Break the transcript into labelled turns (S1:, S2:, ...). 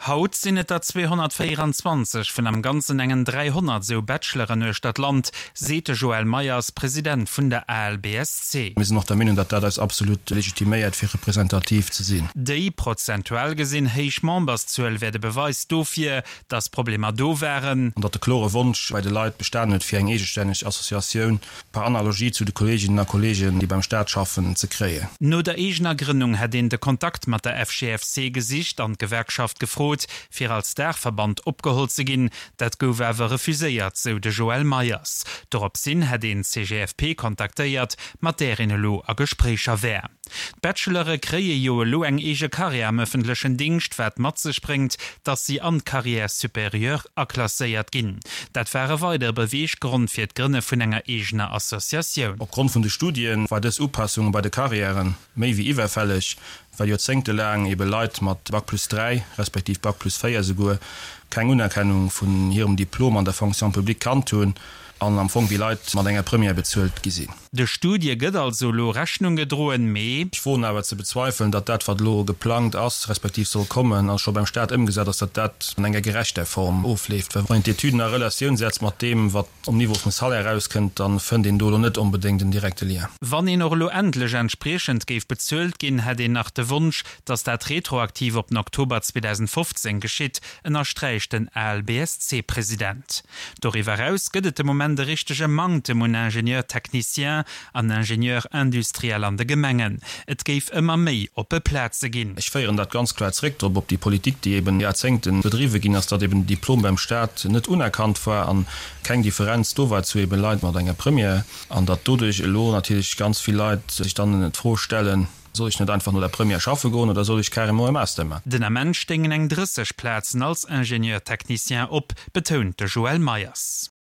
S1: Haut sinn et der 224 vun am Ganzen engen 300 esou Bacheloren uechter d'Land, seet de Joël Meyers, President vun der ALBSC.
S2: Mir sinn och der Meenung, datt dat eis absolut legitiméiert, fir representativ ze sinn.
S1: Déi, prozentual gesinn, héich Memberszuel wär de Beweis dofir, datt Problemer do waren.
S2: An datt de klore Wonsch bei de Leit bestan huet, fir eng eegestänneg Associatioun, par Analogie zu de Kolleeginnen a Kolleegen, déi beim Staat schaffen, ze kréien.
S1: No der eegener Grënnung hätt een de Kontakt mat der FGFC gesicht an d'Gewerkschaft gefrot, fir als Daachverband opgeholl ze ginn. Dat gouf awer refuséiert, sou de Joël Meyers. Doropshin hätt een d'CGFP kontaktéiert, mat där een elo a Gespréicher wär. D'Bachelore kréie jo elo eng eege Karriär am ëffentlechen Dingscht, wat mat sech bréngt, datt si an d'Carrière supérieure aklasséiert ginn. Dat war e weidere Beweeggrond fir d'Grënne vun enger eegener Associatioun.
S2: Opgrond vun de Studie war dës Upassung bei de Karriäre méi wéi iwwerfälleg, well joerzéngtelaang ebe Leit mat Bac plus 3, respektiv Bac plus 4 esouguer, keng Unerkennung vun hirem Diplom an der Fonction publique kannt hunn an am Fong wéi Leit mat enger Première bezuelt gi sinn.
S1: De Studie gëtt also elo Rechnung gedroen, mee.
S2: Ech woen awer ze bezweifelen, datt dat, wat elo geplangt ass, respektiv soll kommen a scho beim Stat ëmgesat ass, datt dat an enger gerechter Form ofleeft. Well wann een d'Etüden a Relatioun setzt mat deem, wat um Niveau vum Salaire erauskënnt, da fënnt een do elo net onbedéngt en direkte Lien.
S1: Wann een och elo endlech entspriechend géif bezuelt ginn, hätt een nach de Wonsch, datt dat retroaktiv op den Oktober 2015 geschitt, ënnersträicht den ALBSC-President. Doriwwer eraus gëtt et de Moment e richtege Manktem un Ingénieurs techniciens an Ingénieurs industriels an de Gemengen. Et géif ëmmer méi oppe Plaze ginn.
S2: Ech féieren dat ganz kloer zréck drop, op déi Politik, déi eben Jarzéngte bedriwwe ginn ass, datt eben den Diplom beim Stat net unerkannt war an keng Differenz do war zu eben Leit mat enger Première, an datt doduerch elo natierlech ganz vill Leit sech dann d'Fro stellen, Soll ech net einfach no der Première schaffe goen oder soll ech carrément e Master man?
S1: Den Ament stéingen eng 30 Plazen als Ingénieur technicien op, betount de Joël Meyers.